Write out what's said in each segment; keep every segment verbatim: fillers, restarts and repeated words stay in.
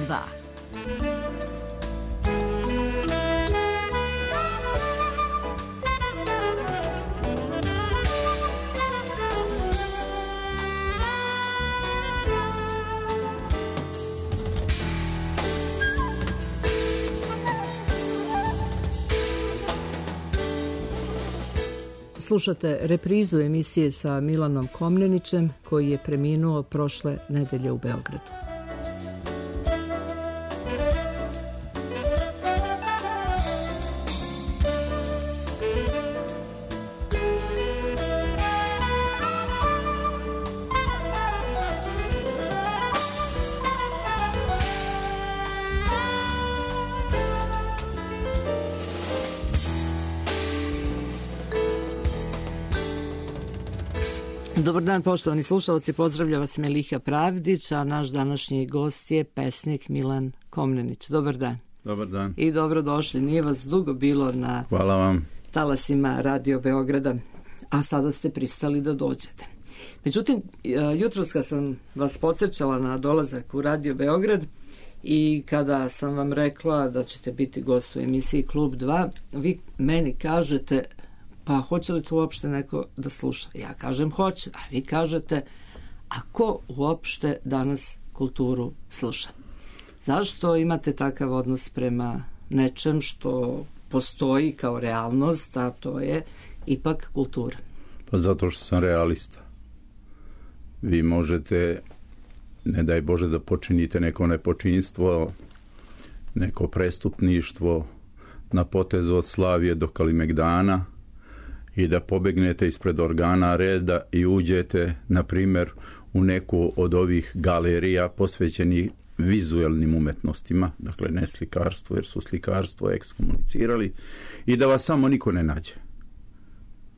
dva. Slušate reprizu emisije sa Milanom Komnenićem, koji je preminuo prošle nedelje u Beogradu. Dobar dan, poštovani slušalci, pozdravlja vas Meliha Pravdić, a naš današnji gost je pesnik Milan Komnenić. Dobar dan. Dobar dan. I dobrodošli. Nije vas dugo bilo na Hvala vam. talasima Radio Beograda, a sada ste pristali da dođete. Međutim, jutros kad sam vas podsjećala na dolazak u Radio Beograd i kada sam vam rekla da ćete biti gost u emisiji Klub dva, vi meni kažete: pa hoće li to uopšte neko da sluša? Ja kažem hoće, a vi kažete: a ko uopšte danas kulturu sluša? Zašto imate takav odnos prema nečem što postoji kao realnost, a to je ipak kultura? Pa zato što sam realista. Vi možete, ne daj Bože, da počinite neko nepočinstvo, neko prestupništvo na potezu od Slavije do Kalimegdana i da pobegnete ispred organa reda i uđete, na primjer, u neku od ovih galerija posvećenih vizualnim umetnostima, dakle ne slikarstvo, jer su slikarstvo ekskomunicirali, i da vas samo niko ne nađe.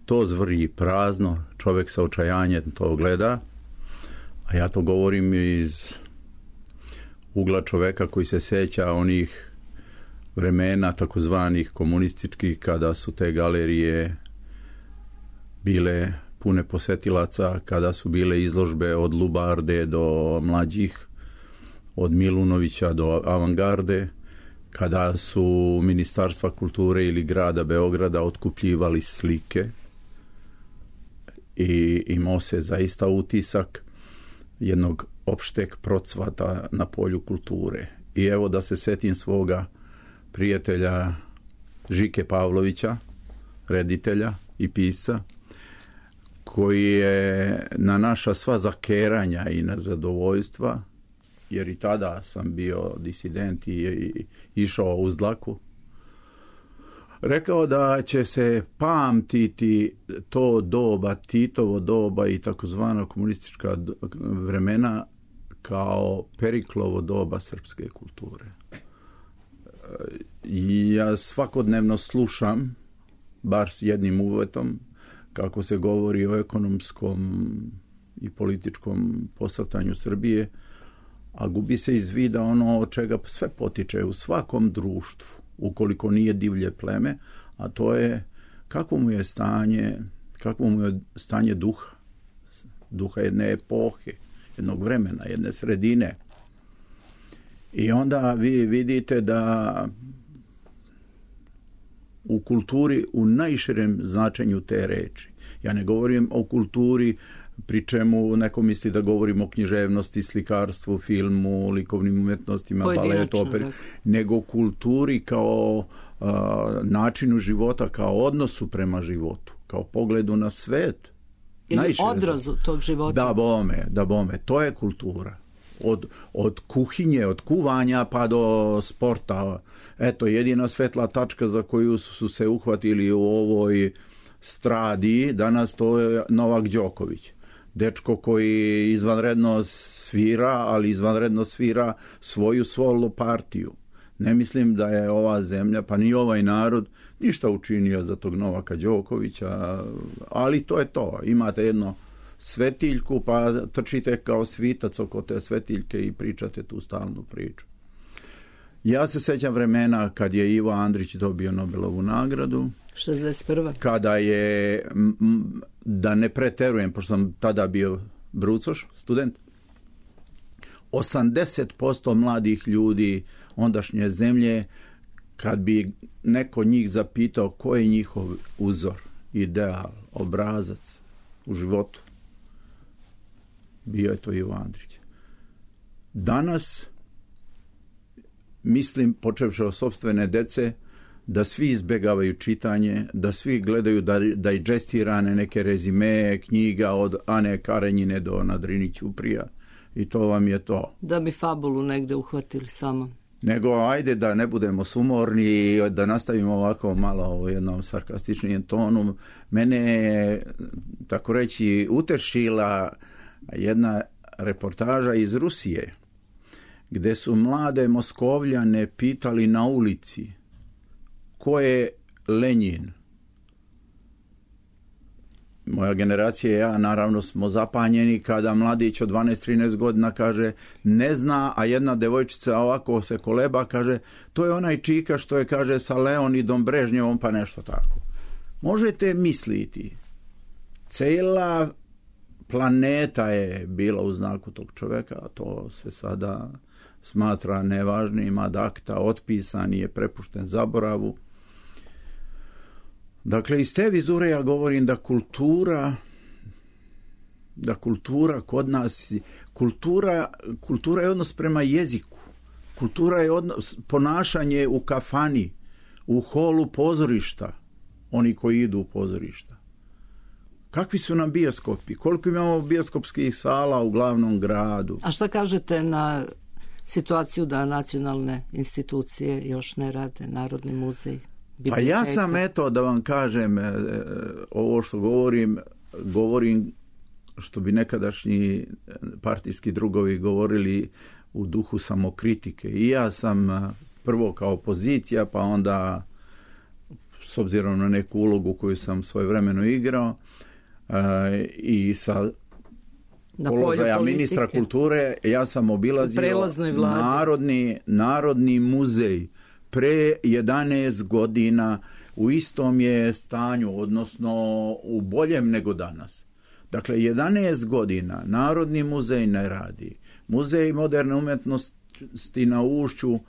To zvrji prazno, čovjek sa očajanjem to gleda, a ja to govorim iz ugla čovjeka koji se sjeća onih vremena takozvanih komunističkih, kada su te galerije bile pune posetilaca, kada su bile izložbe od Lubarde do mlađih, od Milunovića do Avangarde, kada su Ministarstva kulture ili grada Beograda otkupljivali slike i imao se zaista utisak jednog opšteg procvata na polju kulture. I evo da se setim svoga prijatelja Žike Pavlovića, reditelja i pisa, koji je na naša sva zakeranja i na zadovoljstva, jer i tada sam bio disident i, i išao uz dlaku, rekao da će se pamtiti to doba, Titovo doba i takozvana komunistička vremena kao Periklovo doba srpske kulture. Ja svakodnevno slušam, bar s jednim uvetom, kako se govori o ekonomskom i političkom posrtanju Srbije, a gubi se iz vida ono od čega sve potiče u svakom društvu, ukoliko nije divlje pleme, a to je kakvo mu je stanje, kakvo mu je stanje duha, duha jedne epohe, jednog vremena, jedne sredine. I onda vi vidite da u kulturi u najširem značenju te reči. Ja ne govorim o kulturi pri čemu neko misli da govorim o književnosti, slikarstvu, filmu, likovnim umetnostima, baletu, operi, nego kulturi kao uh, načinu života, kao odnosu prema životu, kao pogledu na svet. Ili najšire odrazu tog života. Da bome, da bome, to je kultura. Od, od kuhinje, od kuvanja pa do sporta. Eto, jedina svetla tačka za koju su se uhvatili u ovoj stradi danas, to je Novak Đoković. Dečko koji izvanredno svira, ali izvanredno svira svoju solo partiju. Ne mislim da je ova zemlja, pa ni ovaj narod, ništa učinio za tog Novaka Đokovića, ali to je to. Imate jedno svetiljku, pa trčite kao svitac oko te svetiljke i pričate tu stalnu priču. Ja se sećam vremena kad je Ivo Andrić dobio Nobelovu nagradu. šezdeset prva Kada je, da ne preterujem, pošto sam tada bio brucoš, student, osamdeset posto mladih ljudi ondašnje zemlje, kad bi neko njih zapitao ko je njihov uzor, ideal, obrazac u životu, bio je to Ivo Andrić. Danas, mislim, počevši od sopstvene dece, da svi izbjegavaju čitanje, da svi gledaju dajđestirane neke rezime knjiga od Ane Karenjine do Nadrini Ćuprija i to vam je to. Da bi fabulu negde uhvatili samo. Nego ajde da ne budemo sumorni i da nastavimo ovako malo u jednom sarkastičnijem tonu. Mene je, tako reći, utešila jedna reportaža iz Rusije, gde su mlade Moskovljane pitali na ulici ko je Lenjin. Moja generacija i ja naravno smo zapanjeni kada mladić od dvanaest trinaest godina kaže ne zna, a jedna devojčica ovako se koleba, kaže to je onaj čika što je, kaže, sa Leonidom Brežnjevom, pa nešto tako. Možete misliti, cijela planeta je bila u znaku tog čovjeka, a to se sada smatra nevažnim, ad acta, otpisan je, prepušten zaboravu. Dakle, iz te vizure ja govorim da kultura, da kultura kod nas, kultura, kultura je odnos prema jeziku, kultura je odnos, ponašanje u kafani, u holu pozorišta, oni koji idu u pozorišta. Kakvi su nam bioskopi? Koliko imamo bioskopskih sala u glavnom gradu? A šta kažete na situaciju da nacionalne institucije još ne rade, Narodni muzej? Pa ja sam, eto, da vam kažem, ovo što govorim, govorim što bi nekadašnji partijski drugovi govorili u duhu samokritike. I ja sam prvo kao opozicija, pa onda s obzirom na neku ulogu koju sam svojevremeno igrao i sa položaja ministra kulture, ja sam obilazio narodni, narodni muzej pre jedanaest godina, u istom je stanju, odnosno u boljem nego danas. Dakle, jedanaest godina Narodni muzej ne radi. Muzej moderne umjetnosti na Ušću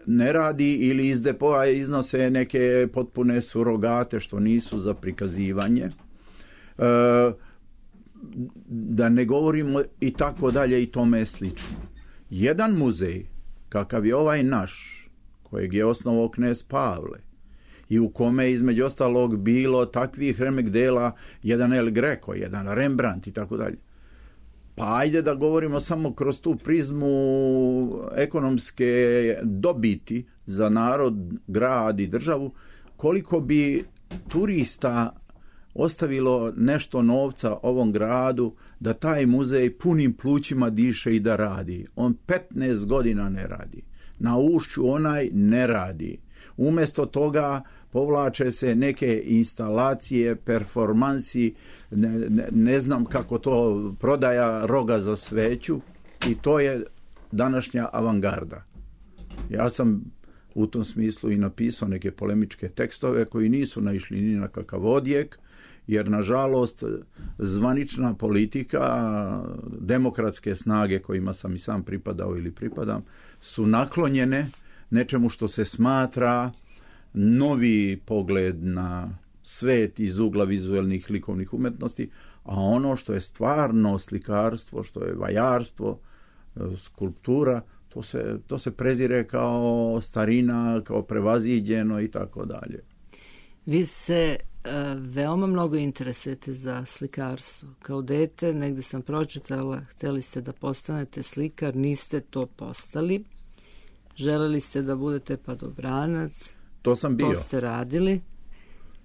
ne radi ili iz depoa iznose neke potpune surogate što nisu za prikazivanje. E, da ne govorimo i tako dalje i tome slično. Jedan muzej, kakav je ovaj naš, kojeg je osnovao knez Pavle i u kome je između ostalog bilo takvih remek dela, jedan El Greco, jedan Rembrandt i tako dalje. Pa ajde da govorimo samo kroz tu prizmu ekonomske dobiti za narod, grad i državu, koliko bi turista ostavilo nešto novca ovom gradu da taj muzej punim plućima diše i da radi. On petnaest godina ne radi. Na Ušću onaj ne radi. Umjesto toga povlače se neke instalacije, performansi, ne, ne, ne znam kako to, prodaja roga za sveću i to je današnja avangarda. Ja sam u tom smislu i napisao neke polemičke tekstove koji nisu naišli ni na kakav odjek, jer nažalost zvanična politika, demokratske snage kojima sam i sam pripadao ili pripadam, su naklonjene nečemu što se smatra novi pogled na svet iz ugla vizualnih likovnih umetnosti, a ono što je stvarno slikarstvo, što je vajarstvo, skulptura, to se, to se prezire kao starina, kao prevaziđeno i tako dalje. Vi se uh, veoma mnogo interesujete za slikarstvo. Kao dete, negde sam pročitala, hteli ste da postanete slikar, niste to postali. Želeli ste da budete padobranac. To sam bio. To ste radili.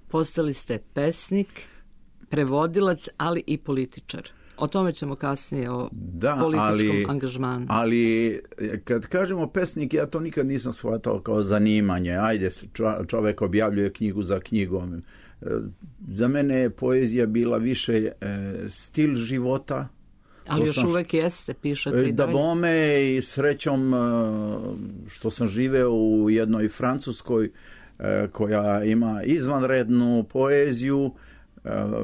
Postali ste pesnik, prevodilac, ali i političar. O tome ćemo kasnije, o da, političkom ali, angažmanu. Ali kad kažemo pesnik, ja to nikad nisam shvatao kao zanimanje. Ajde, čovjek objavljuje knjigu za knjigom. Za mene je poezija bila više stil života. Ali još uvek jeste, pišete i da bome i srećom što sam živeo u jednoj Francuskoj koja ima izvanrednu poeziju,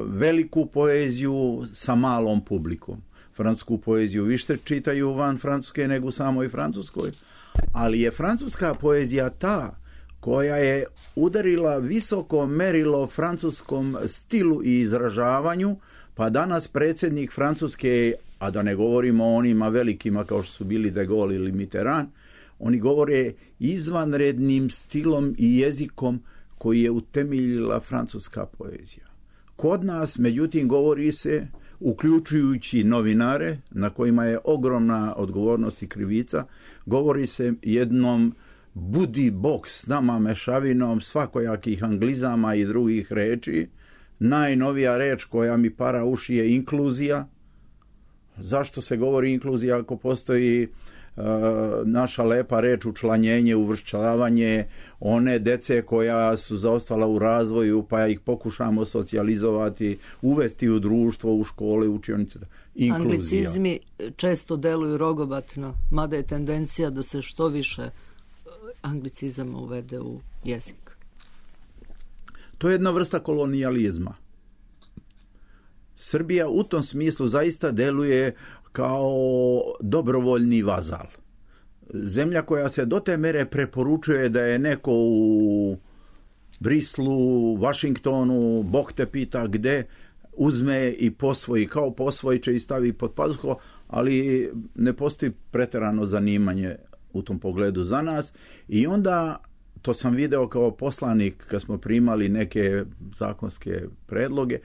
veliku poeziju sa malom publikom. francusku poeziju više čitaju van Francuske nego u samoj Francuskoj, ali je francuska poezija ta koja je udarila visoko merilo francuskom stilu i izražavanju, pa danas predsjednik Francuske, a da ne govorimo o onima velikima kao što su bili De Gaulle ili Mitterrand, oni govore izvanrednim stilom i jezikom koji je utemeljila francuska poezija. Kod nas, međutim, govori se, uključujući novinare, na kojima je ogromna odgovornost i krivica, govori se jednom budi bok s nama mešavinom svakojakih anglizama i drugih reči. Najnovija reč koja mi para uši je inkluzija. Zašto se govori inkluzija ako postoji uh, naša lepa reč učlanjenje, uvršćavanje one dece koja su zaostala u razvoju, pa ih pokušamo socijalizovati, uvesti u društvo, u škole, učionice. Inkluzija. Anglicizmi često deluju rogobatno, mada je tendencija da se što više anglicizama uvede u jezik. To je jedna vrsta kolonijalizma. Srbija u tom smislu zaista deluje kao dobrovoljni vazal. Zemlja koja se do te mere preporučuje da je neko u Brislu, Vašingtonu, Bog te pita gde, uzme i posvoji, kao posvojiće i stavi pod pazuho, ali ne postoji preterano zanimanje u tom pogledu za nas. I onda, to sam video kao poslanik kad smo primali neke zakonske predloge,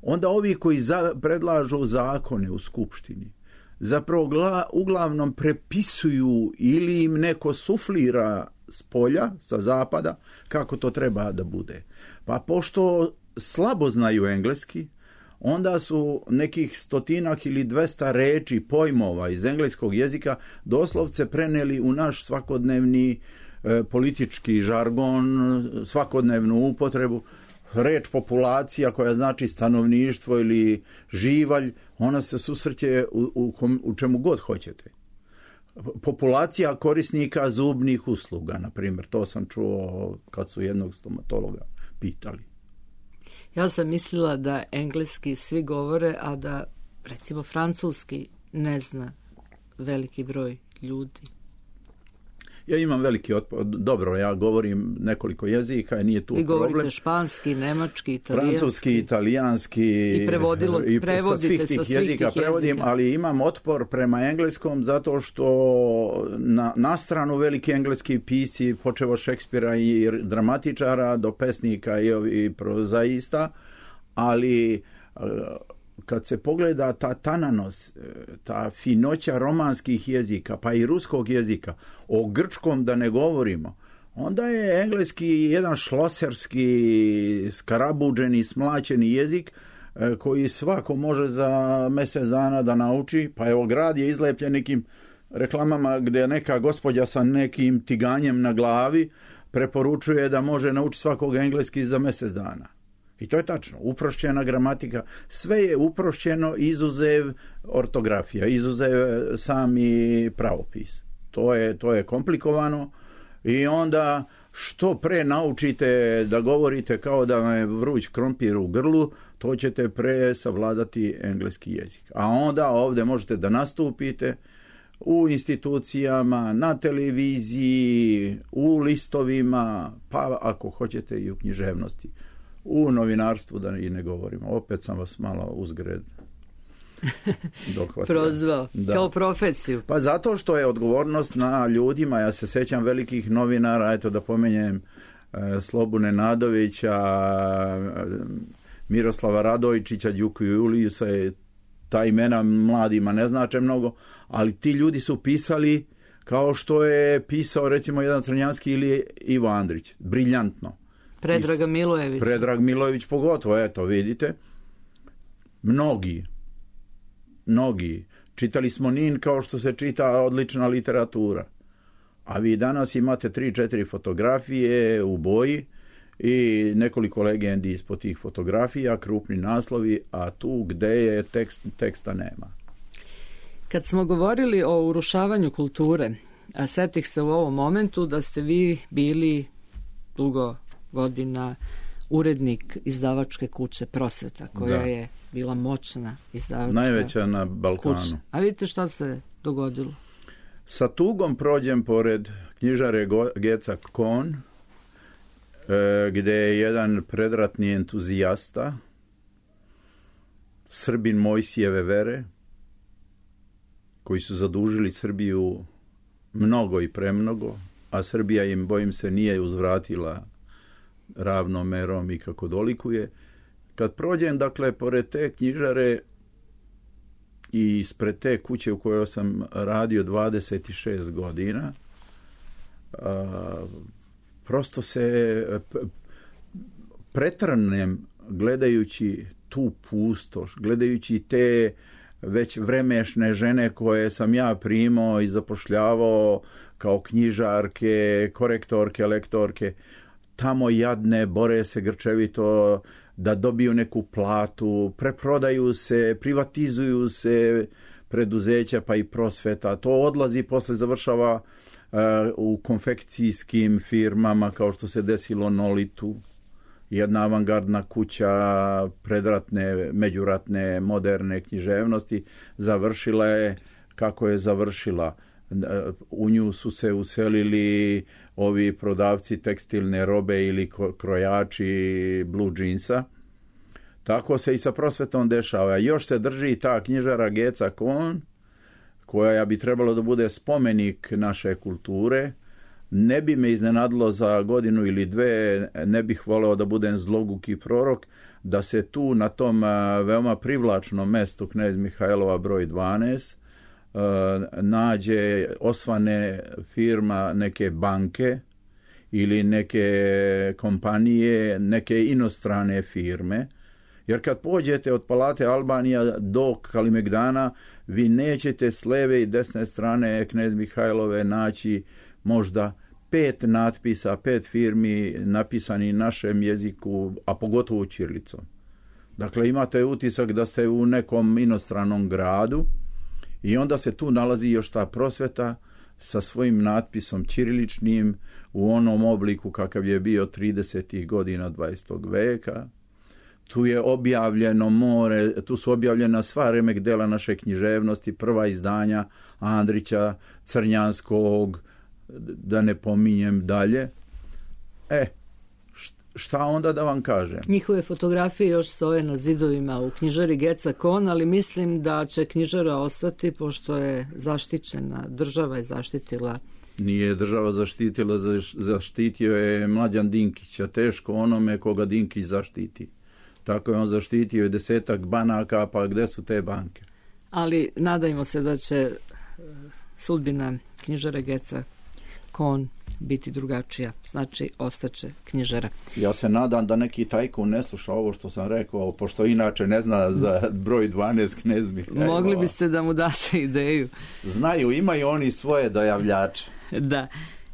onda ovi koji za, predlažu zakone u skupštini zapravo gla, uglavnom prepisuju ili im neko suflira s polja, sa zapada, kako to treba da bude. Pa pošto slabo znaju engleski, onda su nekih stotinak ili dvesta reči, pojmova iz engleskog jezika doslovce preneli u naš svakodnevni e, politički žargon, svakodnevnu upotrebu. Reč populacija koja znači stanovništvo ili živalj, ona se susreće u, u, u čemu god hoćete. Populacija korisnika zubnih usluga, na primjer, to sam čuo kad su jednog stomatologa pitali. Ja sam mislila da engleski svi govore, a da recimo francuski ne zna veliki broj ljudi. Ja imam veliki otpor. Dobro, ja govorim nekoliko jezika i nije tu problem. Vi govorite španski, nemački, italijanski. Francuski, italijanski. I prevodilo, i prevodite sa svih tih jezika. jezika prevodim, ali imam otpor prema engleskom zato što na, na stranu veliki engleski pisci, počev od Šekspira i dramatičara do pesnika i, i prozaista, ali kad se pogleda ta tananost, ta finoća romanskih jezika, pa i ruskog jezika, o grčkom da ne govorimo, onda je engleski jedan šloserski, skarabuđeni, smlaćeni jezik koji svako može za mjesec dana da nauči. Pa evo, grad je izlepljen nekim reklamama gdje neka gospođa sa nekim tiganjem na glavi preporučuje da može naučiti svakog engleski za mjesec dana. I to je tačno, uprošćena gramatika, sve je uprošćeno izuzev ortografija, izuzev sami pravopis. To je, to je komplikovano i onda što pre naučite da govorite kao da vam je vruć krompir u grlu, to ćete pre savladati engleski jezik. A onda ovdje možete da nastupite u institucijama, na televiziji, u listovima, pa ako hoćete i u književnosti. U novinarstvu da i ne govorimo. Opet sam vas malo uzgred dohvatio. Prozvao. Da. Kao profesiju. Pa zato što je odgovornost na ljudima. Ja se sećam velikih novinara, eto da pomenjem e, Slobu Nenadovića, Miroslava Radojčića, Đuku Julijusa, ta imena mladima ne znače mnogo, ali ti ljudi su pisali kao što je pisao recimo jedan Crnjanski ili Ivo Andrić. Briljantno. Predrag Milojević. Predrag Milojević pogotovo, eto vidite. Mnogi, mnogi. Čitali smo Nin kao što se čita odlična literatura. A vi danas imate tri, četiri fotografije u boji i nekoliko legendi ispod tih fotografija, krupni naslovi, a tu gde je tekst, teksta nema. Kad smo govorili o urušavanju kulture, a setih se u ovom momentu da ste vi bili dugo godina urednik izdavačke kuće Prosveta, koja Da. je bila moćna izdavačka Najveća na Balkanu. kuća. A vidite šta se dogodilo? Sa tugom prođem pored knjižare Geca Kohn, e, gdje je jedan predratni entuzijasta, Srbin Mojsijeve vere, koji su zadužili Srbiju mnogo i premnogo, a Srbija im, bojim se, nije uzvratila ravnomerom i kako dolikuje. Kad prođem, dakle, pored te knjižare i ispred te kuće u kojoj sam radio dvadeset šest godina, a, prosto se pretrnem gledajući tu pustoš, gledajući te već vremešne žene koje sam ja primao i zapošljavao kao knjižarke, korektorke, lektorke, tamo jadne, bore se grčevito da dobiju neku platu, preprodaju se, privatizuju se preduzeća pa i Prosveta. To odlazi, posle završava uh, u konfekcijskim firmama kao što se desilo Nolitu. Jedna avangardna kuća predratne, međuratne, moderne književnosti završila je kako je završila. U nju su se uselili ovi prodavci tekstilne robe ili krojači blue jeansa. Tako se i sa Prosvetom dešava. Još se drži ta knjižara Geca Kohn, koja bi trebalo da bude spomenik naše kulture. Ne bi me iznenadilo za godinu ili dve, ne bih voleo da budem zloguki prorok, da se tu na tom veoma privlačnom mestu Knez Mihajlova broj dvanaest nađe osvane firma neke banke ili neke kompanije, neke inostrane firme. Jer kad pođete od Palate Albanija do Kalimegdana, vi nećete s leve i desne strane Knez Mihajlove naći možda pet natpisa, pet firmi napisani našem jeziku, a pogotovo ćirilicom. Dakle, imate utisak da ste u nekom inostranom gradu i onda se tu nalazi još ta Prosveta sa svojim natpisom ćiriličnim u onom obliku kakav je bio tridesetih godina dvadesetog veka. Tu je objavljeno more, tu su objavljena sva remek dela naše književnosti, prva izdanja Andrića, Crnjanskog, da ne pominjem dalje. E, šta onda da vam kažem? Njihove fotografije još stoje na zidovima u knjižari Geca Kohn, ali mislim da će knjižara ostati pošto je zaštićena, država je zaštitila. Nije država zaštitila, zaštitio je Mlađan Dinkić, a teško onome koga Dinkić zaštiti. Tako je on zaštitio desetak banaka, pa gde su te banke? Ali nadajmo se da će sudbina knjižare Geca Kohn biti drugačija. Znači, ostaće knjižara. Ja se nadam da neki tajkun ne sluša ovo što sam rekao, pošto inače ne zna za broj dvanaest Knez Mihajlova. Mogli biste da mu date ideju. Znaju, imaju oni svoje dojavljače. Da.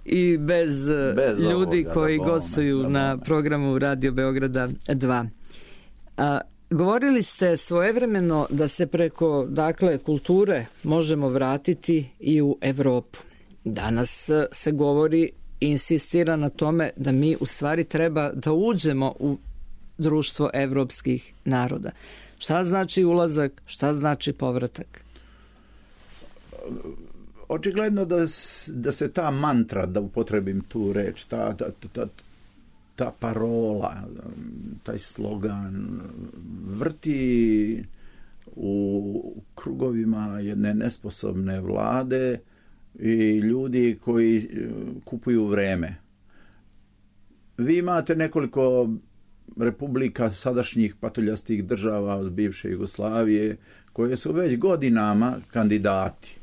I bez, bez ljudi ovoga, koji da gostuju da na programu Radio Beograda dva. A, govorili ste svojevremeno da se preko, dakle, kulture možemo vratiti i u Evropu. Danas se govori i insistira na tome da mi u stvari treba da uđemo u društvo evropskih naroda. Šta znači ulazak, šta znači povratak? Očigledno da, da se ta mantra, da upotrebim tu reč, ta, ta, ta, ta parola, taj slogan vrti u krugovima jedne nesposobne vlade i ljudi koji kupuju vreme. Vi imate nekoliko republika sadašnjih patuljastih država od bivše Jugoslavije koje su već godinama kandidati.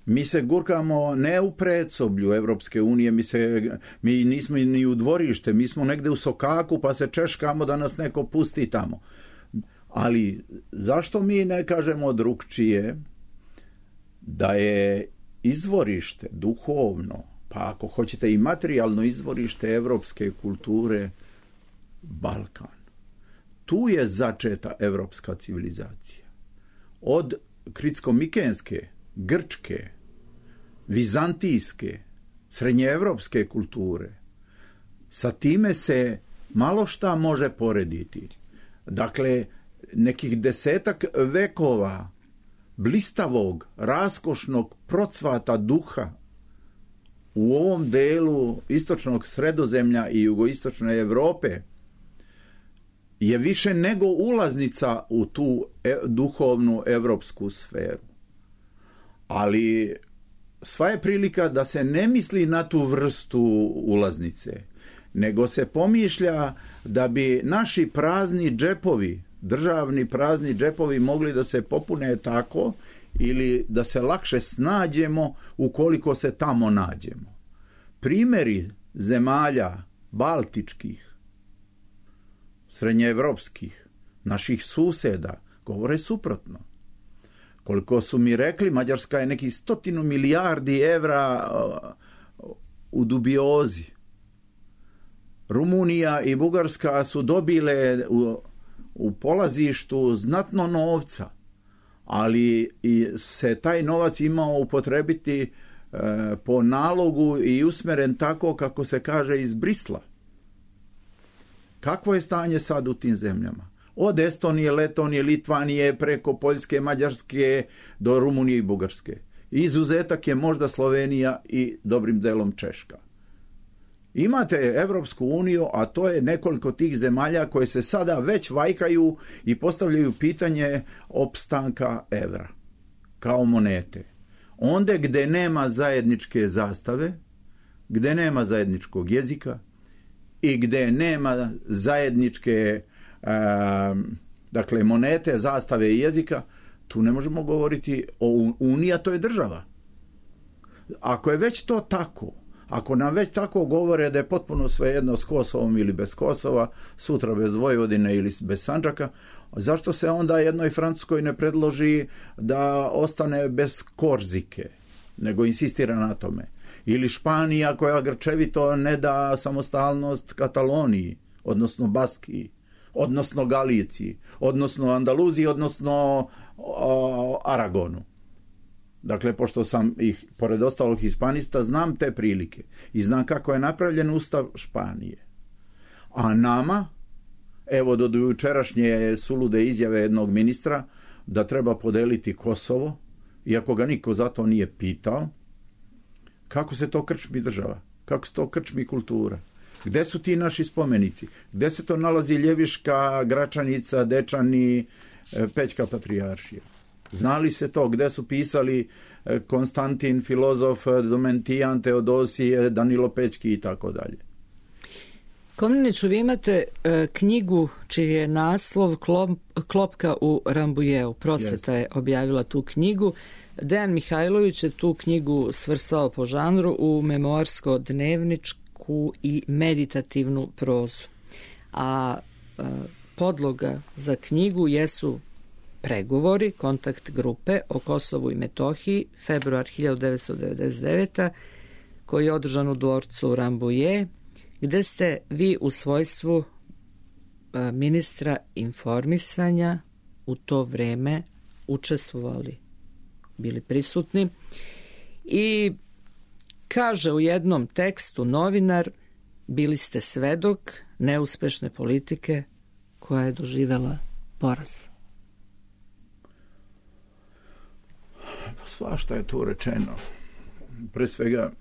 Mi se gurkamo ne u predsoblju Evropske unije, mi, se, mi nismo ni u dvorište, mi smo negde u sokaku pa se češkamo da nas neko pusti tamo. Ali zašto mi ne kažemo drugčije da je izvorište duhovno, pa ako hoćete i materijalno izvorište evropske kulture Balkan. Tu je začeta evropska civilizacija. Od kritsko-mikenske, grčke, vizantijske, srednjeevropske kulture. Sa time se malo šta može porediti. Dakle, nekih desetak vekova blistavog, raskošnog procvata duha u ovom delu istočnog Sredozemlja i jugoistočne Europe je više nego ulaznica u tu duhovnu evropsku sferu. Ali sva je prilika da se ne misli na tu vrstu ulaznice, nego se pomišlja da bi naši prazni džepovi, državni prazni džepovi mogli da se popune tako ili da se lakše snađemo ukoliko se tamo nađemo. Primjeri zemalja baltičkih, srednjeevropskih, naših suseda govore suprotno. Koliko su mi rekli, Mađarska je nekih stotinu milijardi evra u dubiozi. Rumunija i Bugarska su dobile u, u polazištu znatno novca, ali i se taj novac imao upotrebiti e, po nalogu i usmeren tako kako se kaže iz Brisla. Kakvo je stanje sad u tim zemljama? Od Estonije, Letonije, Litvanije, preko Poljske, Mađarske do Rumunije i Bugarske. Izuzetak je možda Slovenija i dobrim delom Češka. Imate Evropsku uniju, a to je nekoliko tih zemalja koje se sada već vajkaju i postavljaju pitanje opstanka evra kao monete. Onde gde nema zajedničke zastave, gde nema zajedničkog jezika i gde nema zajedničke dakle monete, zastave i jezika, tu ne možemo govoriti o uniji, a to je država. Ako je već to tako, ako nam već tako govore da je potpuno svejedno s Kosovom ili bez Kosova, sutra bez Vojvodine ili bez Sandžaka, zašto se onda jednoj Francuskoj ne predloži da ostane bez Korzike, nego insistira na tome? Ili Španija koja grčevito ne da samostalnost Kataloniji, odnosno Baskiji, odnosno Galiciji, odnosno Andaluziji, odnosno o, Aragonu. Dakle, pošto sam ih, pored ostalog hispanista, znam te prilike i znam kako je napravljen ustav Španije. A nama, evo do jučerašnje sulude izjave jednog ministra da treba podeliti Kosovo, iako ga niko za to nije pitao, kako se to krčmi država, kako se to krčmi kultura. Gde su ti naši spomenici? Gde se to nalazi Ljeviška, Gračanica, Dečani, Pećka patrijaršija? Znali se to? Gde su pisali Konstantin, filozof, Domentijan, Teodosije, Danilo Pećki i tako dalje? Komneniću, vi imate e, knjigu čiji je naslov Klop, Klopka u Rambujeu. Prosveta je objavila tu knjigu. Dejan Mihajlović je tu knjigu svrstao po žanru u memoarsko-dnevničku i meditativnu prozu. A e, podloga za knjigu jesu pregovori kontakt grupe o Kosovu i Metohiji, februar hiljadu devetsto devedeset devete. koji je održan u dvorcu Rambuje, gde ste vi u svojstvu ministra informisanja u to vreme učestvovali, bili prisutni. I kaže u jednom tekstu novinar, bili ste svedok neuspešne politike koja je doživela poraz. Svašta je tu rečeno. Pre svega,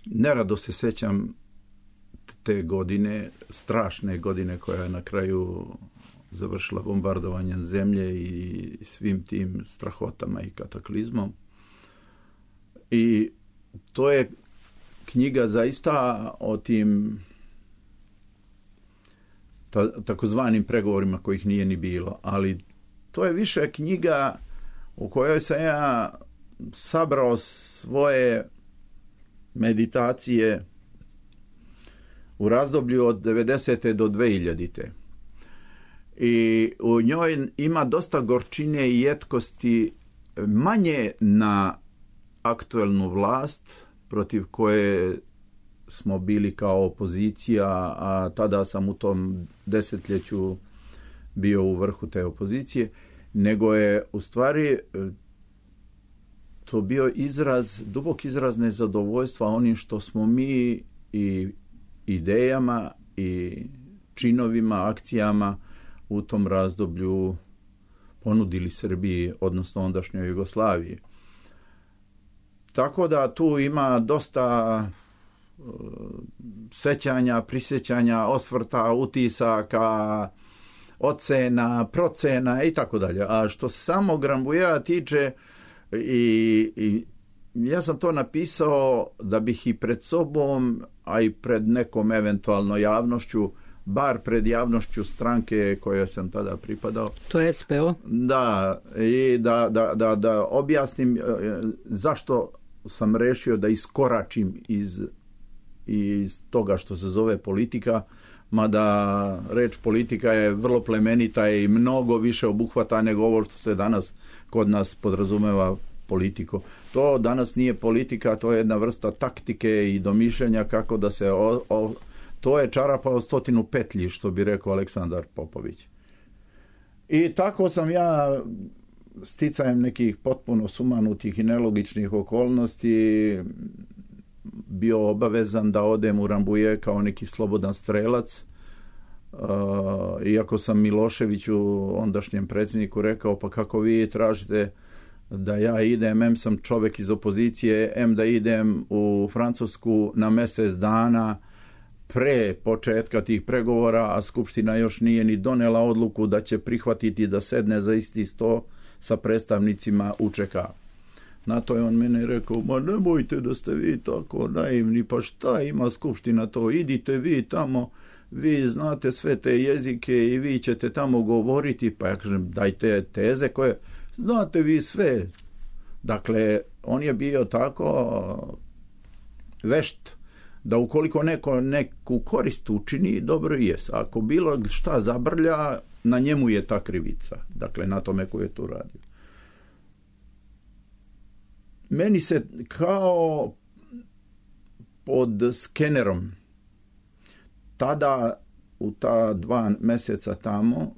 nerado se sećam te godine, strašne godine koja je na kraju završila bombardovanjem zemlje i svim tim strahotama i kataklizmom. I to je knjiga zaista o tim ta, takozvanim pregovorima kojih nije ni bilo, ali to je više knjiga u kojoj sam ja sabrao svoje meditacije u razdoblju od devedesete do dvehiljadite. I u njoj ima dosta gorčine i jetkosti, manje na aktuelnu vlast protiv koje smo bili kao opozicija, a tada sam u tom desetljeću bio u vrhu te opozicije, nego je u stvari to bio izraz, dubok izraz nezadovoljstva onim što smo mi i idejama i činovima, akcijama u tom razdoblju ponudili Srbiji, odnosno ondašnjoj Jugoslaviji. Tako da tu ima dosta uh, sećanja, prisjećanja, osvrta, utisaka, ocena, procena i tako dalje. A što se samog Rambujea tiče, i, i ja sam to napisao da bih i pred sobom, a i pred nekom eventualno javnošću, bar pred javnošću stranke kojoj sam tada pripadao. To je es pe o? Da, i da, da, da, da objasnim zašto sam rešio da iskoračim iz, iz toga što se zove politika, mada reč politika je vrlo plemenita i mnogo više obuhvata nego ovo što se danas kod nas podrazumeva politiko. To danas nije politika, to je jedna vrsta taktike i domišljanja kako da se... O, o, to je čarapa o stotinu petlji, što bi rekao Aleksandar Popović. I tako sam ja, sticajem nekih potpuno sumanutih i nelogičnih okolnosti, bio obavezan da odem u Rambuje kao neki slobodan strelac. Uh, iako sam Miloševiću, ondašnjem predsjedniku, rekao, pa kako vi tražite da ja idem, em sam čovek iz opozicije, em da idem u Francusku na mjesec dana pre početka tih pregovora, a Skupština još nije ni donela odluku da će prihvatiti da sedne za isti sto sa predstavnicima u čeka a. Na to je on mene rekao, ma nemojte da ste vi tako naivni, pa šta ima Skupština to, idite vi tamo, vi znate sve te jezike i vi ćete tamo govoriti, pa ja kažem, dajte teze koje, znate vi sve. Dakle, on je bio tako vešt da ukoliko neko neku korist učini, dobro i jes. Ako bilo šta zabrlja, na njemu je ta krivica. Dakle, na tome ko je to radio. Meni se kao pod skenerom tada u ta dva mjeseca tamo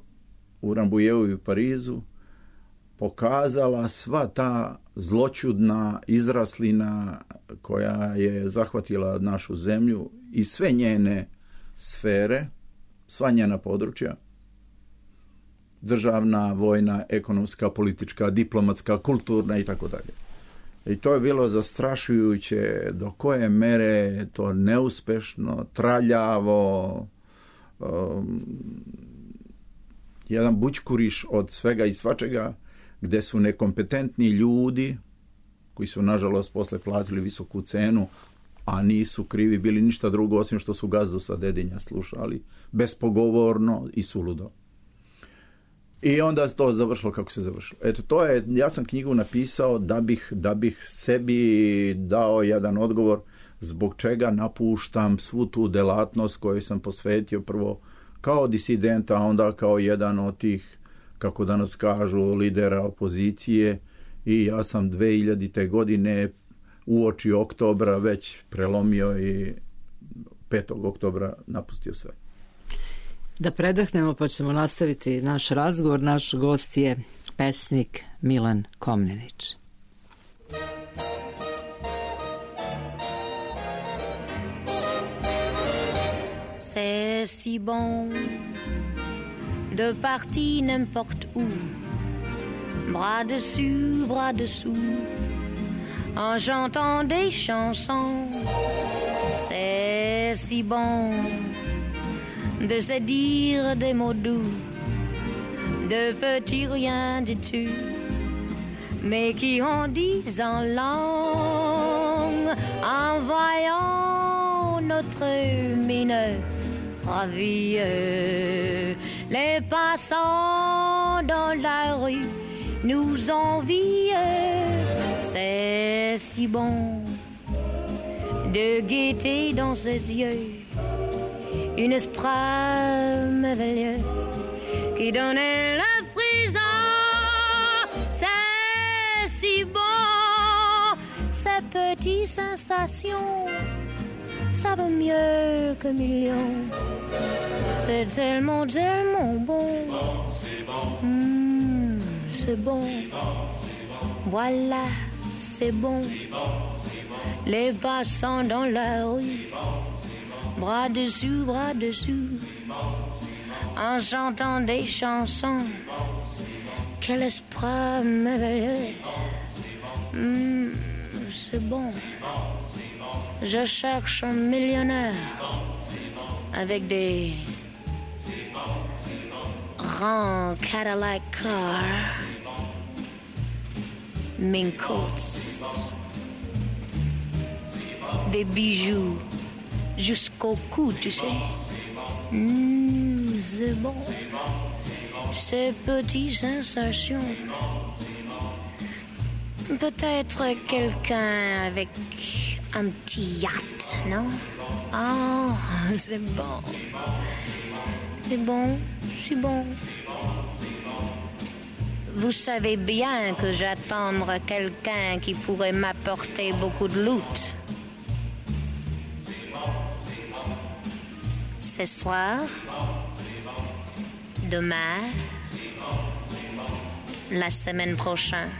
u Rambujeu i u Parizu pokazala sva ta zloćudna izraslina koja je zahvatila našu zemlju i sve njene sfere, sva njena područja, državna, vojna, ekonomska, politička, diplomatska, kulturna i tako dalje. I to je bilo zastrašujuće do koje mere to neuspešno, traljavo, um, jedan bućkuriš od svega i svačega, gde su nekompetentni ljudi, koji su nažalost posle platili visoku cenu, a nisu krivi bili ništa drugo osim što su Gazdu sa Dedinja slušali, bespogovorno i suludo. I onda to završilo kako se završilo. Eto, to je, ja sam knjigu napisao da bih, da bih sebi dao jedan odgovor zbog čega napuštam svu tu delatnost koju sam posvetio prvo kao disidenta, a onda kao jedan od tih, kako danas kažu, lidera opozicije, i ja sam dve hiljadite godine uoči oktobra već prelomio i petog oktobra napustio sve. Da predahnemo pa ćemo nastaviti naš razgovor. Naš gost je pesnik Milan Komnenić. C'est si bon de partir n'importe où, bras dessus, bras dessous, en chantant des chansons. C'est si bon de se dire des mots doux, de petits riens du tout, mais qui en disent en langue, en voyant notre mine ravie. Les passants dans la rue nous envient. C'est si bon de gaieté dans ses yeux, une esprit merveilleux qui donnait la frisson. C'est si bon, ces petites sensations, ça vaut mieux que millions. C'est tellement, tellement bon. C'est bon, mmh, c'est bon. Voilà, c'est bon. Les passants dans la rue bras dessus, bras dessus, en chantant des chansons. Quel esprit merveilleux. Mmh, c'est bon. Je cherche un millionnaire avec des grands Cadillac cars, mink coats, des bijoux jusqu'au cou, tu sais. Mmh, c'est bon. Ces petites sensations. Peut-être quelqu'un avec un petit yacht, non? Ah, oh, c'est bon. C'est bon, c'est bon. Vous savez bien que j'attends quelqu'un qui pourrait m'apporter beaucoup de loot. Ce soir, demain, la semaine prochaine.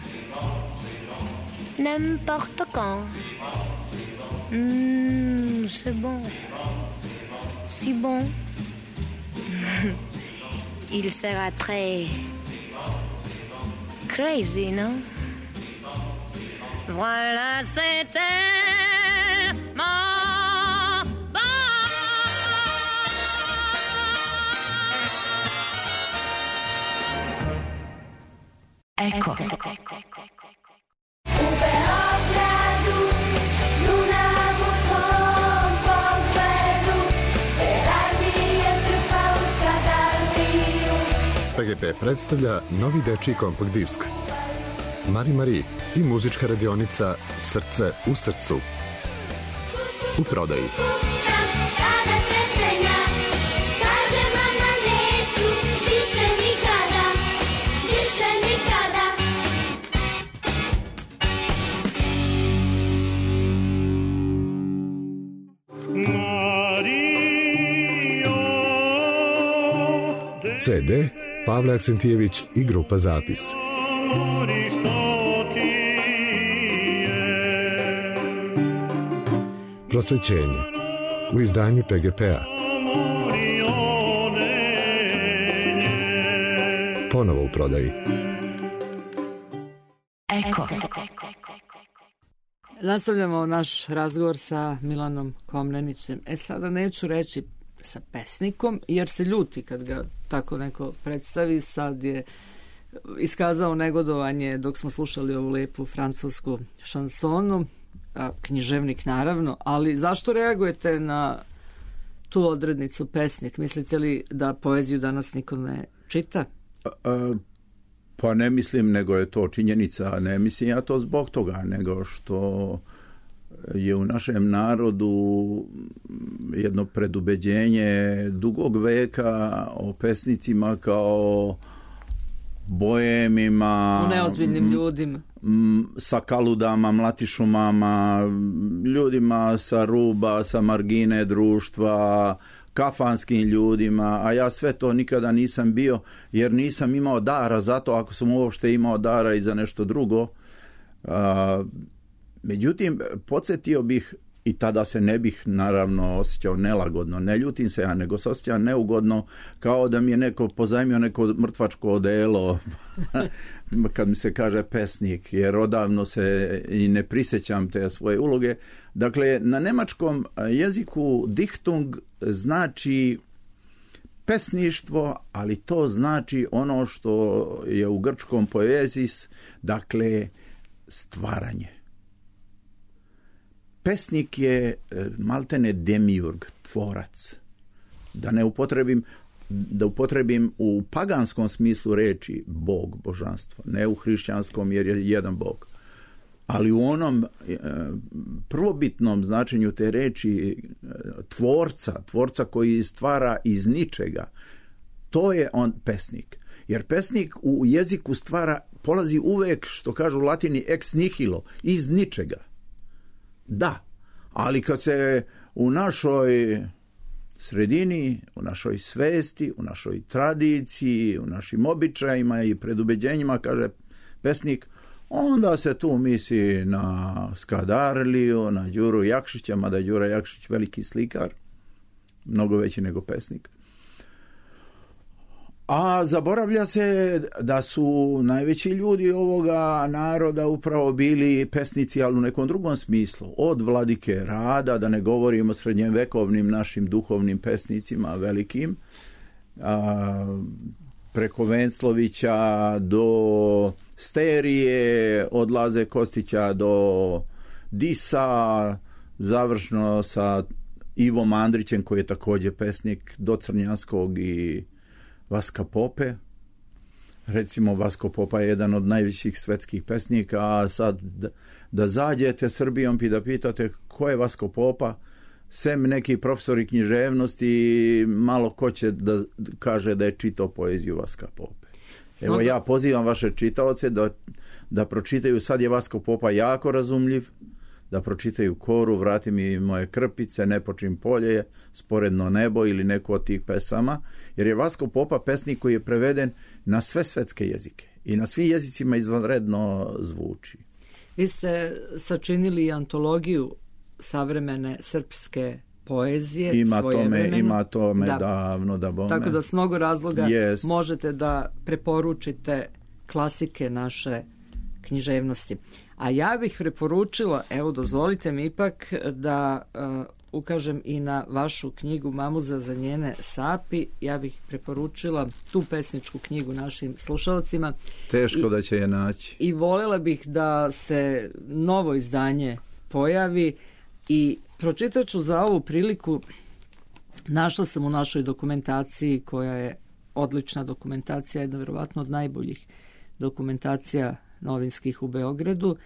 N'importe quand. Mmh, c'est bon. Si bon. Il sera très crazy, non? Voilà, c'était mon bon. Ecco. P G P predstavlja novi dečiji kompakt disk Mari Mari i muzička radionica Srce u srcu. U prodaji. C D Pavle Aksentijević i grupa Zapis. Prosvećenje u izdanju P G P-a. Ponovo u prodaji. Eko. Nastavljamo naš razgovor sa Milanom Komnenićem. E sada neću reći sa pesnikom, jer se ljuti kad ga tako neko predstavi. Sad je iskazao negodovanje dok smo slušali ovu lepu francusku šansonu, a književnik naravno, ali zašto reagujete na tu odrednicu pesnik? Mislite li da poeziju danas niko ne čita? A, a, pa ne mislim, nego je to činjenica. Ne mislim ja to zbog toga, nego što je u našem narodu jedno predubeđenje dugog veka o pesnicima kao boemima, u neozbiljnim ljudima, sa kaludama, mlatišumama, ljudima sa ruba, sa margine društva, kafanskim ljudima, a ja sve to nikada nisam bio, jer nisam imao dara za to, ako sam uopšte imao dara i za nešto drugo. A, međutim, podsjetio bih, i tada se ne bih naravno osjećao nelagodno, ne ljutim se ja, nego se osjećam neugodno, kao da mi je neko pozajmio neko mrtvačko odelo kad mi se kaže pesnik, jer odavno se i ne prisjećam te svoje uloge. Dakle, na nemačkom jeziku Dichtung znači pesništvo, ali to znači ono što je u grčkom poezis, dakle stvaranje. Pesnik je maltene demiurg, tvorac. Da ne upotrebim, da upotrebim u paganskom smislu reči Bog, božanstvo, ne u hrišćanskom jer je jedan Bog. Ali u onom e, prvobitnom značenju te reči e, tvorca, tvorca koji stvara iz ničega, to je on pesnik. Jer pesnik u jeziku stvara, polazi uvek, što kažu u latini, ex nihilo, iz ničega. Da, ali kad se u našoj sredini, u našoj svesti, u našoj tradiciji, u našim običajima i predubeđenjima kaže pesnik, onda se tu misli na Skadarliju, na Đuru Jakšića, mada je Đura Jakšić veliki slikar, mnogo veći nego pesnik. A zaboravlja se da su najveći ljudi ovoga naroda upravo bili pesnici, ali u nekom drugom smislu. Od Vladike Rada, da ne govorimo o srednjevekovnim našim duhovnim pesnicima velikim, a, preko Venclovića do Sterije, od Laze Kostića do Disa, završno sa Ivom Andrićem, koji je također pesnik, do Crnjanskog i Vaska Pope. Recimo, Vasko Popa je jedan od najvećih svetskih pesnika, a sad da, da zađete Srbijom i da pitate ko je Vasko Popa, sem neki profesori književnosti, malo ko će da kaže da je čitao poeziju Vaska Pope. Evo, ja pozivam vaše čitaoce da, da pročitaju, sad je Vasko Popa jako razumljiv, da pročitaju Koru, Vrati mi moje krpice, Ne počim polje, Sporedno nebo ili neku od tih pesama, jer je Vasko Popa pesnik koji je preveden na sve svetske jezike i na svim jezicima izvanredno zvuči. Vi ste sačinili antologiju savremene srpske poezije, ima svoje tome, vremena. Ima tome da. davno da bome. Tako da s mnogo razloga Jest. možete da preporučite klasike naše književnosti. A ja bih preporučila, evo dozvolite mi ipak da uh, ukažem i na vašu knjigu Mamuza za njene sapi. Ja bih preporučila tu pesničku knjigu našim slušalcima. Teško I, da će je naći. I voljela bih da se novo izdanje pojavi i pročitat ću za ovu priliku. Našla sam u našoj dokumentaciji, koja je odlična dokumentacija, jedna vjerovatno od najboljih dokumentacija novinskih u Beogradu,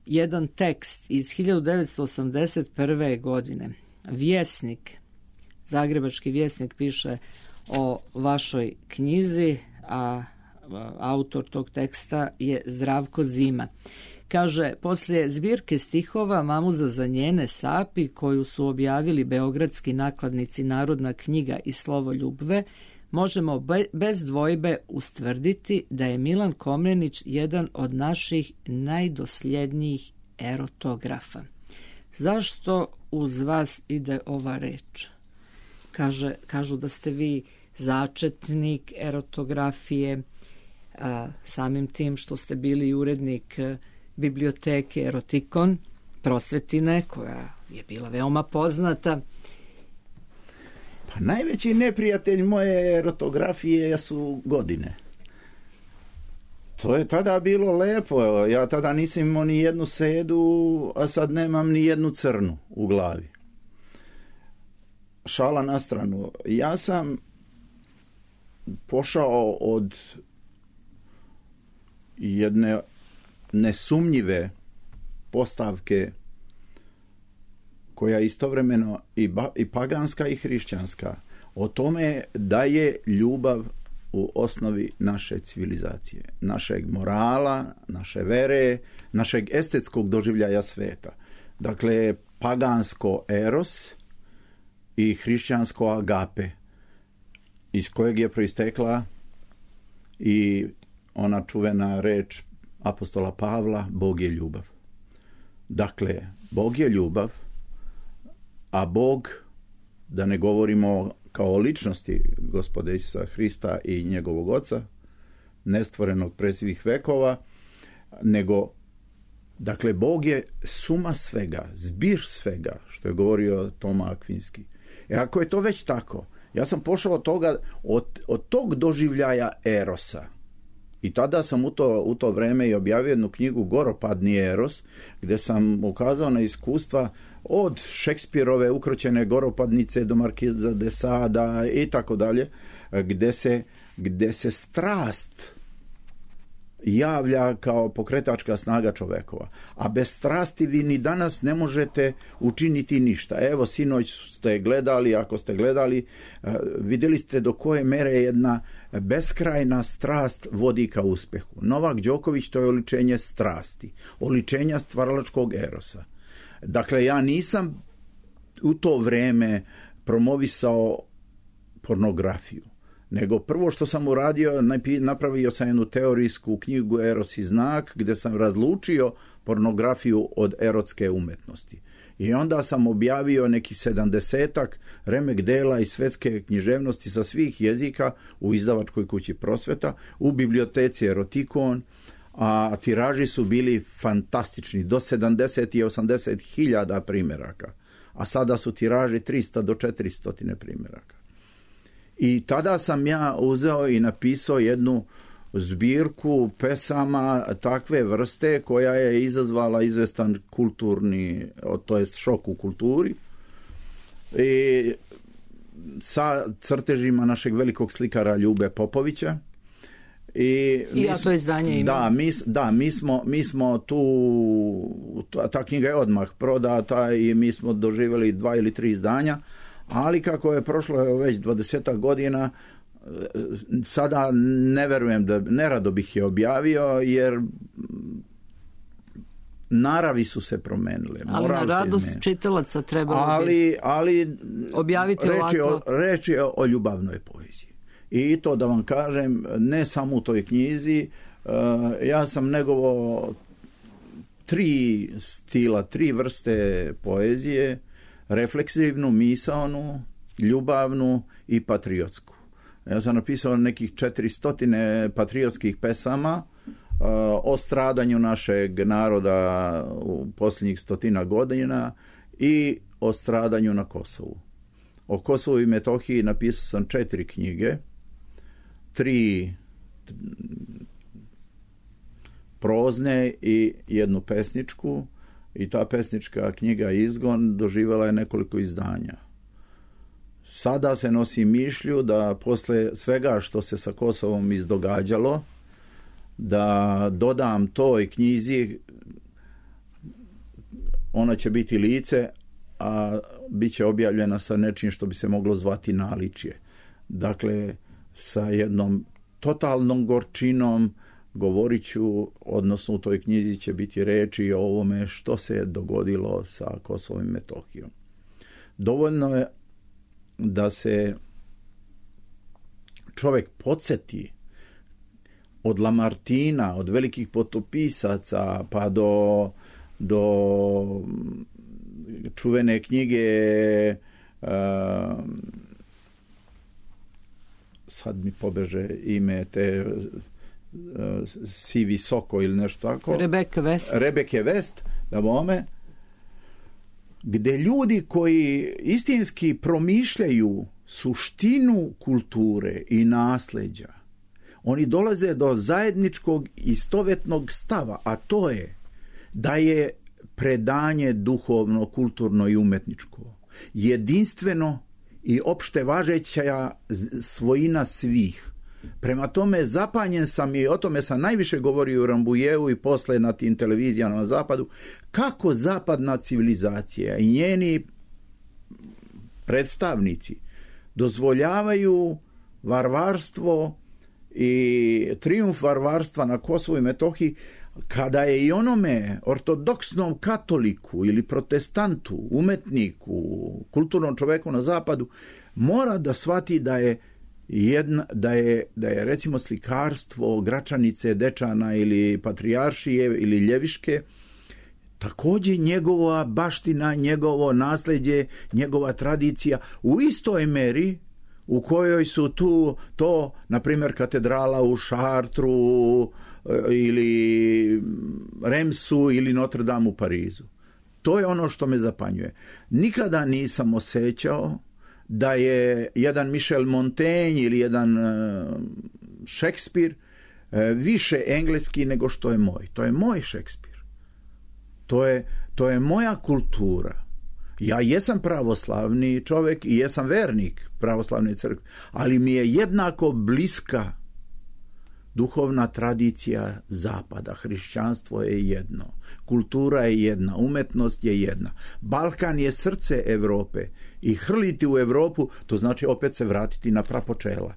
jedan tekst iz hiljadu devetsto osamdeset prve. godine. Vjesnik, Zagrebački Vjesnik piše o vašoj knjizi, a autor tog teksta je Zdravko Zima. Kaže, poslije zbirke stihova Mamuza za njene sapi, koju su objavili beogradski nakladnici Narodna knjiga i Slovo Ljubve, možemo be, bez dvojbe ustvrditi da je Milan Komnenić jedan od naših najdosljednijih erotografa. Zašto uz vas ide ova reč? Kaže, kažu da ste vi začetnik erotografije, a, samim tim što ste bili urednik biblioteke Erotikon, Prosvetine, koja je bila veoma poznata. Pa najveći neprijatelj moje erotografije su godine. To je tada bilo lepo. Ja tada nisam imao ni jednu sedu, a sad nemam ni jednu crnu u glavi. Šala na stranu. Ja sam pošao od jedne nesumnjive postavke koja je istovremeno i, ba, i paganska i hrišćanska, o tome da je ljubav u osnovi naše civilizacije, našeg morala, naše vere, našeg estetskog doživljaja sveta. Dakle, pagansko eros i hrišćansko agape, iz kojeg je proistekla i ona čuvena reč apostola Pavla, Bog je ljubav. Dakle, Bog je ljubav, a Bog, da ne govorimo kao o ličnosti Gospoda Isusa Hrista i njegovog Oca, nestvorenog pre svih vekova, nego, dakle, Bog je suma svega, zbir svega, što je govorio Toma Akvinski. E ako je to već tako, ja sam pošao od toga, od, od tog doživljaja erosa, i tada sam u to, u to vreme i objavio jednu knjigu Goropadni eros, gdje sam ukazao na iskustva od Šekspirove ukroćene goropadnice do Markiza de Sada i tako dalje, gdje se, gdje se strast javlja kao pokretačka snaga čovekova. A bez strasti vi ni danas ne možete učiniti ništa. Evo, sinoć ste gledali, ako ste gledali, vidjeli ste do koje mere jedna beskrajna strast vodi ka uspehu. Novak Đoković, to je oličenje strasti, oličenja stvaralačkog erosa. Dakle, ja nisam u to vreme promovisao pornografiju, nego prvo što sam uradio, napravio sam jednu teorijsku knjigu Eros i znak, gdje sam razlučio pornografiju od erotske umetnosti. I onda sam objavio neki sedamdesetak remek dela iz svetske književnosti sa svih jezika u izdavačkoj kući Prosveta, u biblioteci Erotikon, a tiraži su bili fantastični, do sedamdeset i osamdeset hiljada primjeraka, a sada su tiraži tristo do četiristo primjeraka. I tada sam ja uzeo i napisao jednu zbirku pesama takve vrste koja je izazvala izvestan kulturni, to jest šok u kulturi, i sa crtežima našeg velikog slikara Ljube Popovića. I, I ja to izdanje imam. Da, mi, da mi, smo, mi smo tu, ta, ta knjiga je odmah prodata i mi smo doživjeli dva ili tri izdanja, ali kako je prošlo već dvadesetak godina, sada ne verujem da, nerado bih je objavio, jer naravi su se promenile. Ali na radost čitalaca trebalo ali, bi ali objaviti reč je ovako. O, reč je o ljubavnoj poeziji. I to da vam kažem, ne samo u toj knjizi, uh, ja sam negovo tri stila, tri vrste poezije, refleksivnu, misaonu, ljubavnu i patriotsku. Ja sam napisao nekih četiristotine patriotskih pesama uh, o stradanju našeg naroda u posljednjih stotina godina i o stradanju na Kosovu. O Kosovu i Metohiji napisao sam četiri knjige, tri prozne i jednu pesničku, i ta pesnička knjiga Izgon doživjela je nekoliko izdanja. Sada se nosi mišlju da posle svega što se sa Kosovom izdogađalo, da dodam toj knjizi, ona će biti lice, a bit će objavljena sa nečim što bi se moglo zvati naličje. Dakle, sa jednom totalnom gorčinom govorit ću, odnosno u toj knjizi će biti reči o ovome što se je dogodilo sa Kosovom i Metohijom. Dovoljno je da se čovjek podsjeti od Lamartina, od velikih potopisaca, pa do, do čuvene knjige uh, sad mi pobeže ime te uh, Si visoko ili nešto tako. Rebeke West. Rebeke West, da bome, gdje ljudi koji istinski promišljaju suštinu kulture i nasljeđa, oni dolaze do zajedničkog istovetnog stava, a to je da je predanje duhovno, kulturno i umetničko jedinstveno i opšte važeća svojina svih. Prema tome zapanjen sam, i o tome sam najviše govorio u Rambujevu i posle na tim televizijama na zapadu, kako zapadna civilizacija i njeni predstavnici dozvoljavaju varvarstvo i trijumf varvarstva na Kosovu i Metohiji, kada je i onome ortodoksnom katoliku ili protestantu, umetniku, kulturnom čoveku na zapadu mora da shvati da je Jedna, da, je, da je recimo slikarstvo Gračanice, Dečana ili Patrijaršije ili Ljeviške također njegova baština, njegovo nasljeđe, njegova tradicija u istoj meri u kojoj su tu to, na primjer, katedrala u Šartru ili Remsu ili Notre Dame u Parizu. To je ono što me zapanjuje. Nikada nisam osjećao da je jedan Michel Montaigne ili jedan uh, Šekspir uh, više engleski nego što je moj. To je moj Šekspir. To je, to je moja kultura. Ja jesam pravoslavni čovjek i jesam vernik pravoslavne crkve, ali mi je jednako bliska duhovna tradicija zapada. Hrišćanstvo je jedno, kultura je jedna, umetnost je jedna. Balkan je srce Europe i hrliti u Europu, to znači opet se vratiti na prapočela.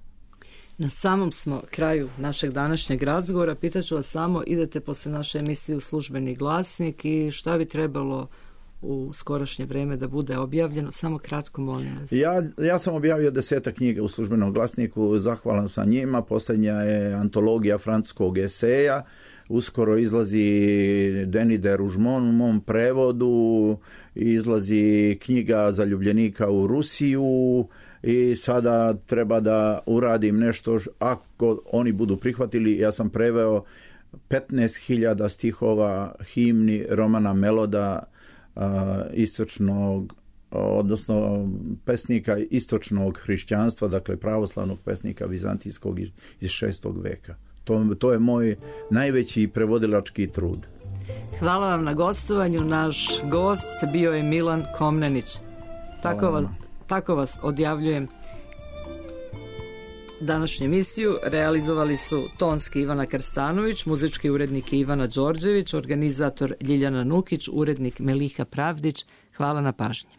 Na samom smo kraju našeg današnjeg razgovora. Pitaću vas samo, idete posle naše emisije u Službeni glasnik i šta bi trebalo u skorašnje vrijeme da bude objavljeno? Samo kratko, molim vas. Ja, ja sam objavio desetak knjiga u Službenom glasniku, zahvalan sam njima. Posljednja je antologija francuskog eseja uskoro izlazi Denis de Rougemont u mom prevodu, izlazi knjiga Zaljubljenika u Rusiju i sada treba da uradim nešto, ako oni budu prihvatili. Ja sam preveo petnaest hiljada stihova himni Romana Meloda, istočnog, odnosno pesnika istočnog hrišćanstva, dakle pravoslavnog pesnika vizantijskog iz šestog veka. To, to je moj najveći prevodilački trud. Hvala vam na gostovanju. Naš gost bio je Milan Komnenić. Tako vas, tako vas odjavljujem. Današnju emisiju realizovali su tonski Ivana Krstanović, muzički urednik Ivana Đorđević, organizator Ljiljana Nukić, urednik Meliha Pravdić. Hvala na pažnji.